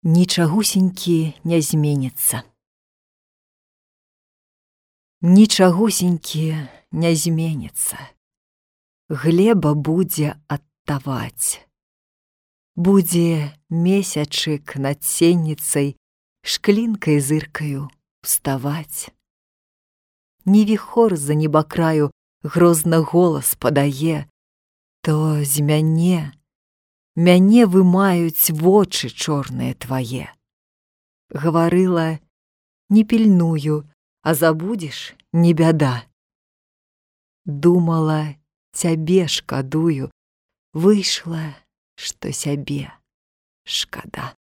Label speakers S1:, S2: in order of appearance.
S1: Нічагусенькі не зменіцца. Нічагусенькі не зменіцца. Глеба будзе адтаваць. Будзе месячык над сенніцай шклінкай зыркаю уставаць. Не віхор за небакраю грозна голас падае, то з мяне вымаюць вочы чорныя твае. Гаварыла, не пільную, а забудзеш, не бяда. Думала, цябе шкадую, выйшла, што сябе шкада.